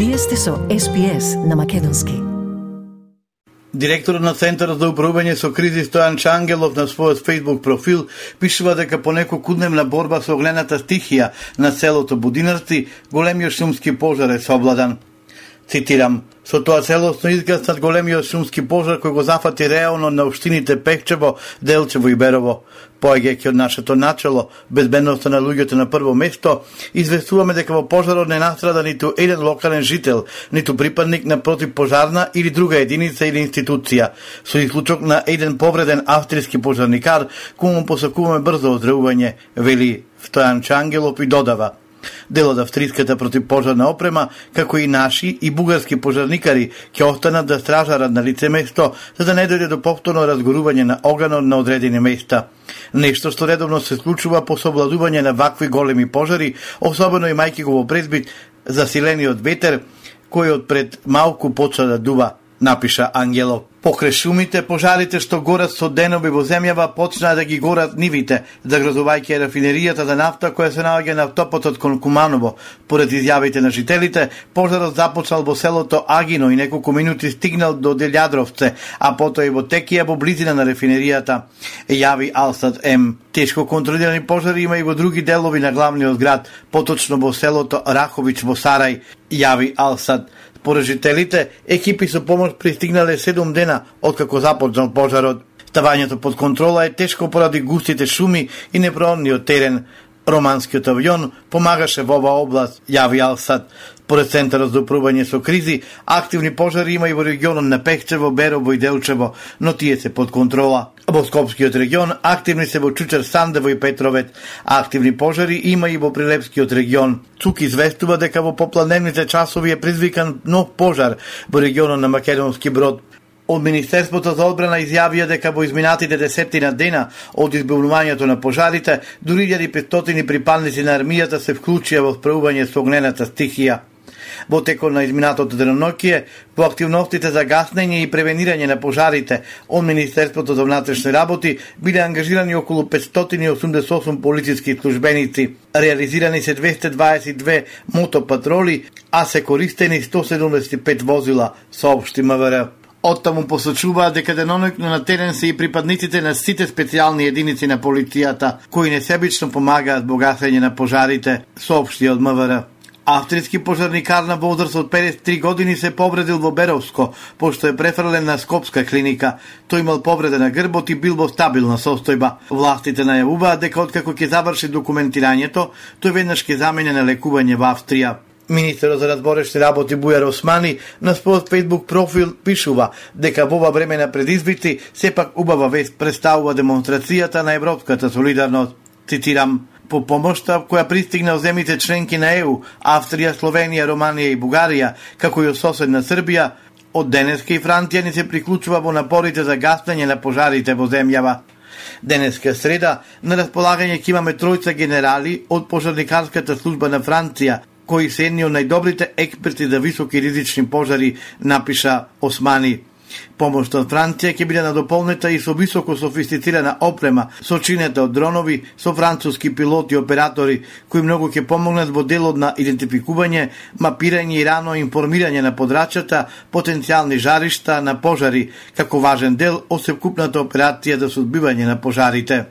Вие сте со SPS на македонски. Директорот на Центарот за управување со кризи Стојан Чангелов на својот Facebook профил пишува дека по неколкудневна борба со огнената стихија на селото Будинарци, големиот шумски пожар е совладан. Цитирам: "Со тоа целосно изгаснат големиот шумски пожар кој го зафати реално на општините Пехчево, Делчево и Берово. Поаѓајќи од нашето начело, безбедноста на луѓето на прво место, известуваме дека во пожарот не настрада ниту еден локален жител, ниту припадник на противпожарна или друга единица или институција, со исклучок на еден повреден австријски пожарникар, кој му посакуваме брзо оздравување", вели Стојан Чангелов и додава: "Дел од австриската противпожарна опрема, како и наши и бугарски пожарникари, ќе останат да стражарат на лице место, за да не дојде до повторно разгорување на оганот на одредени места. Нешто што редовно се случува по совладување на вакви големи пожари, особено имајќи го во предвид засилениот ветер, кој од пред малку почна да дува", напиша Ангелов. Покрај шумите, пожарите што горат со денови во земјава почнаа да ги горат нивите, загрозувајќи рафинеријата за нафта која се наоѓа на автопатот кон Куманово. Поред изјавите на жителите, пожарот започнал во селото Агино и неколку минути стигнал до Делјадровце, а потоа и во Текија во близина на рафинеријата, јави Алсат М. Тешко контролирани пожари има и во други делови на главниот град, поточно во селото Рахович во Сарај, јави Алсат. Според жителите, екипи со помош пристигнале 7 дена откако започнал пожарот. Ставањето под контрола е тешко поради густите шуми и непроонниот терен. Романскиот авион помагаше во оваа област, јави Алсат. Поред Центарот за управување со кризи, активни пожари има и во регионот на Пехчево, Берово и Делчево, но тие се под контрола. Во Скопскиот регион активни се во Чучер, Сандево и Петровет. Активни пожари има и во Прилепскиот регион. ЦУК известува дека во попладневните часови е предизвикан нов пожар во регионот на Македонски Брод. Од Министерството за одбрана изјавија дека во изминатите 10 дена од избавувањето на пожарите, дури 1500 припадници на армијата се вклучија во справување со огнената стихија. Во текот на изминатото деноноќие, во активностите за гаснење и превенирање на пожарите од Министерството за внатрешни работи биле ангажирани околу 588 полициски службеници. Реализирани се 222 мотопатроли, а се користени 175 возила, соопшти МВР. Оттаму посочуваат дека деноноќно на терен се и припадниците на сите специјални единици на полицијата, кои несебично помагаат во гасење на пожарите, соопшти од МВР. Австријски пожарникар на возраст од 53 години се повредил во Беровско, пошто е префрлен на Скопска клиника. Тој имал повреда на грбот и бил во стабилна состојба. Властите најавуваат дека откако ќе заврши документирањето, тој веднаш ќе замине на лекување во Австрија. Министерот за разборешни работи Бујар Османи на својот Facebook профил пишува дека во ова време на предизвици сепак убава вест представува демонстрацијата на европската солидарност. Цитирам: "По помошта која пристигна од земјите членки на ЕУ, Австрија, Словенија, Романија и Бугарија, како и од соседна Србија, од денеска и Франција ни се приклучува во напорите за гаснење на пожарите во земјава. Денеска среда на располагање ќе имаме тројца генерали од пожарникарската служба на Франција, кои се едни од најдобрите експерти за високи ризични пожари", напиша Османи. Помошта од Франција ќе биде надополнета и со високо софистицирана опрема, сочинета од дронови, со француски пилоти и оператори, кои многу ќе помогнат во делот на идентификување, мапирање и рано информирање на подрачјата, потенцијални жаришта на пожари, како важен дел од севкупната операција за сузбивање на пожарите.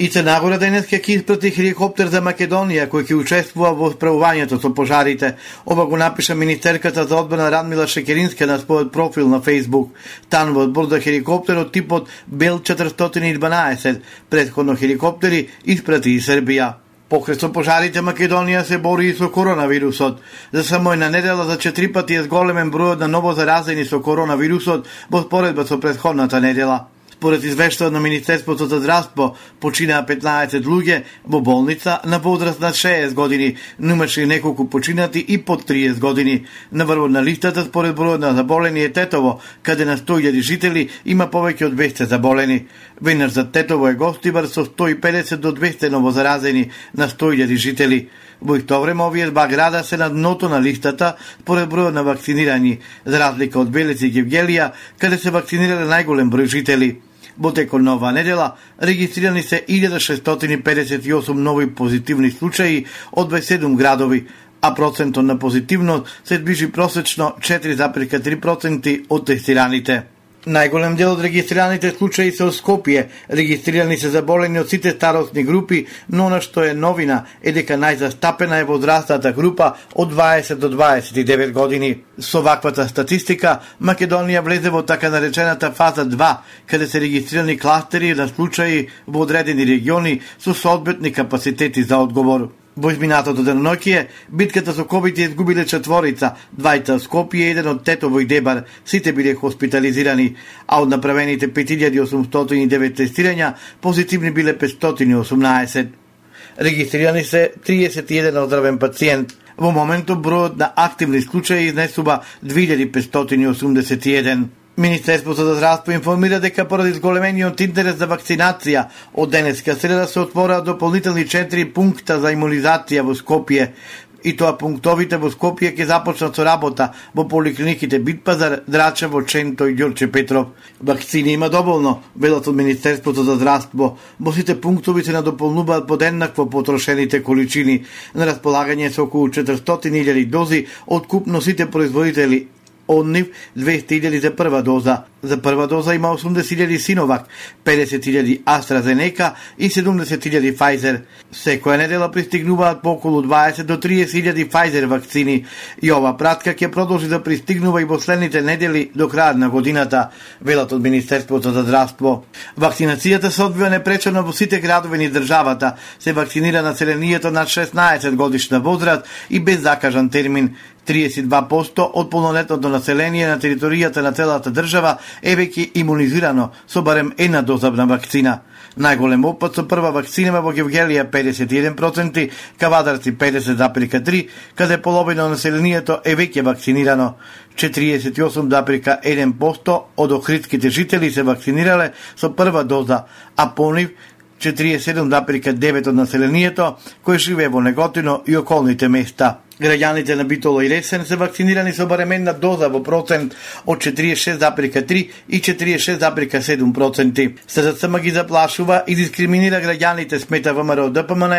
И Црна Гора денеска ќе испрати хеликоптер за Македонија, кој ќе учествува во справувањето со пожарите. Ова го напиша министерката за одбрана Радмила Шекеринска на својот профил на Facebook. Танувот борда хеликоптерот типот Бел 412, претходно хеликоптери испрати и Србија. Покрај со пожарите, Македонија се бори и со коронавирусот. За само една недела за 4 пати е зголемен бројот на ново заразени со коронавирусот во споредба со претходната недела. Според извештаот на Министерството за здравство, починаа 15 луѓе во болница на возраст на 60 години, но имаше неколку починати и под 30 години. Наврво на листата според бројот на заболени е Тетово, каде на 100.000 жители има повеќе од 200 заболени. Веднаш за Тетово е Гостивар со 150 до 200 новозаразени на 100.000 жители. Во исто време овие два града се на дното на листата според бројот на вакцинирани, за разлика од Белец и Гевгелија, каде се вакцинирале најголем број жители. Во текот на оваа недела регистрирани се 1658 нови позитивни случаи од 27 градови. а процентот на позитивност се движи просечно 4,3% од тестираните. Најголем дел од регистрираните случаи се од Скопје. Регистрирани се заболени од сите старосни групи, но она што е новина е дека најзастапена е возрастната група од 20 до 29 години. Со ваквата статистика, Македонија влезе во така наречената фаза 2, каде се регистрирани кластери на случаи во одредени региони со соодветни капацитети за одговор. Во изминатото деноноќие, битката со ковид ја изгубиле четворица, двајца од Скопје и еден од Тетово и Дебар, сите биле хоспитализирани, а од направените 5809 тестирања, позитивни биле 518. Регистрирани се 31 оздравен пациент. Во моментот бројот на активни случаи изнесува 2581. Министерството за здравство информира дека поради зголемениот интерес за вакцинација, од денеска среда се отвора дополнителни 4 пункта за имунизација во Скопје. И тоа пунктовите во Скопје ќе започнат со работа во поликлиниките Битпазар, Драчево, Ченто и Ѓорче Петров. Вакцини има доволно, велат од Министерството за здравство. Во сите пунктови се надополнуваат под еднакво потрошените количини. На располагање се околу 400.000 дози од купно сите производители. Од нив 200.000 за прва доза. За прва доза има 80.000 Синовак, 50.000 AstraZeneca и 70.000 Pfizer. Секоја недела пристигнуваат по околу 20 до 30.000 Pfizer вакцини и ова пратка ќе продолжи да пристигнува и во следните недели до крајот на годината, велат од Министерството за здравство. Вакцинацијата се одвива непречено во сите градови низ државата. Се вакцинира населението над 16 годишна возраст и без закажан термин. 32% од полнолетното население на територијата на целата држава е веќе имунизирано со барем една доза на вакцина. Најголем опад со прва вакцина во Гевгелија 51%, Кавадарци 50,3%, каде половина од населението е веќе вакцинирано. 48,1% од охридските жители се вакцинирале со прва доза, а по нив 47,9% од населението кој живее во Неготино и околните места. Граѓаните на Битола и Ресен се вакцинирани со барем една доза во процент од 46,3 и 46,7%. СЗСМ ги заплашува и дискриминира граѓаните, смета ВМРО ДПМН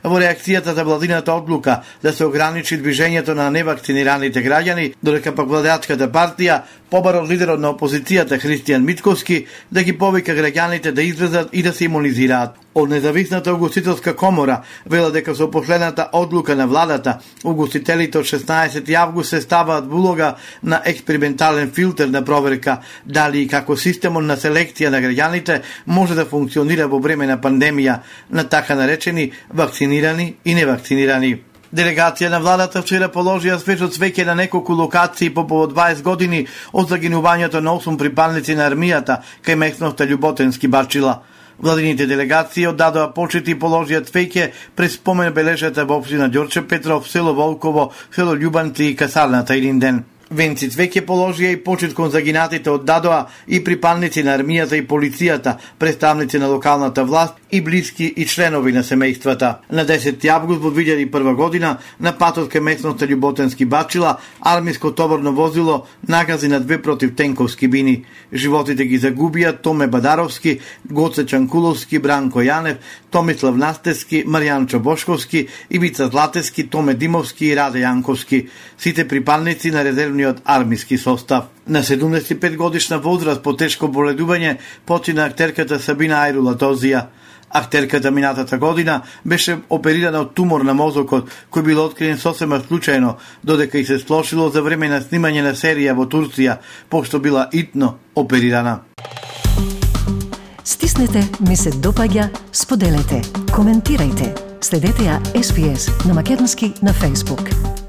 во реакцијата за владината одлука да се ограничи движењето на невакцинираните граѓани, додека пак владеачката партија побара од лидерот на опозицијата Христијан Мицковски да ги повика граѓаните да излезат и да се имунизираат. Од независната угостителска комора вела дека со последната одлука на владата, угостителите од 16 август се ставаат во улога на експериментален филтер на проверка дали и како системот на селекција на граѓаните може да функционира во време на пандемија на така наречени вакцинирани и невакцинирани. Делегација на владата вчера положија свежо цвеќе на неколку локации по повод 20 години од загинувањето на 8 припадници на армијата кај местноста Љуботенски Бачила. Владините делегации оддадоа почит и положија цвеќе пред спомен бележата во општина Ѓорче Петров, село Волково, село Љубанци и касарната еден ден. Венци цвеќе положија и почит кон загинатите оддадоа и припадници на армијата и полицијата, представници на локалната власт и блиски и членови на семејствата. На 10 август во 2001 година на патот кај местноста Љуботенски Бачила армиско товарно возило нагази на 2 противтенковски бини. Животите ги загубија Томе Бадаровски, Гоце Чанкуловски, Бранко Јанев, Томислав Настевски, Маријанчо Бошковски, Ивица Златевски, Томе Димовски и Раде Јанковски. Сите припадници на резервниот армиски состав. На 75 годишна возраст по тешко боледување почина актерката Сабина Ајрула-Тозија. Актерката минатата година беше оперирана од тумор на мозокот, кој бил откриен сосема случајно, додека и се слошило за време на снимање на серија во Турција, пошто била итно оперирана. Стиснете, ми се допаѓа, споделете, коментирајте. Следете ја SPS на Македонски на Facebook.